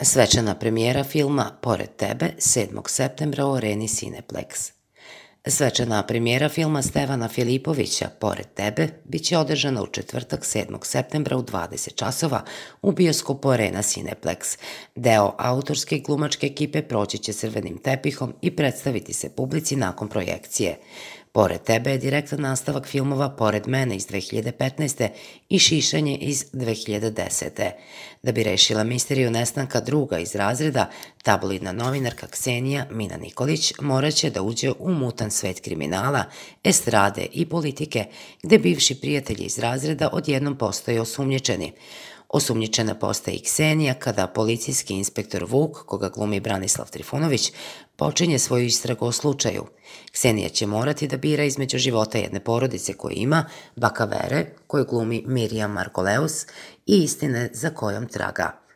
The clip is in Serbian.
Svečana premijera filma Pored tebe 7. septembra u areni Cineplex. Svečana premijera filma Stevana Filipovića Pored tebe biće održana u četvrtak 7. septembra u 20 časova u bioskopu Arena Cineplex. Deo autorske i glumačke ekipe proći će crvenim tepihom i predstaviti se publici nakon projekcije. Pored tebe je direktan nastavak filmova Pored mene iz 2015. i Šišanje iz 2010. Da bi rešila misteriju nestanka druga iz razreda, tabloidna novinarka Ksenija Mina Nikolić moraće da uđe u mutan svet kriminala, estrade i politike, gde bivši prijatelji iz razreda odjednom postaju osumnjičeni. Osumnjičena postaje i Ksenija kada policijski inspektor Vuk, koga glumi Branislav Trifunović, počinje svoju istragu o slučaju. Ksenija će morati da bira između života jedne porodice koju ima, baka Vere, koju glumi Mirjam Markoleus, i istine za kojom traga.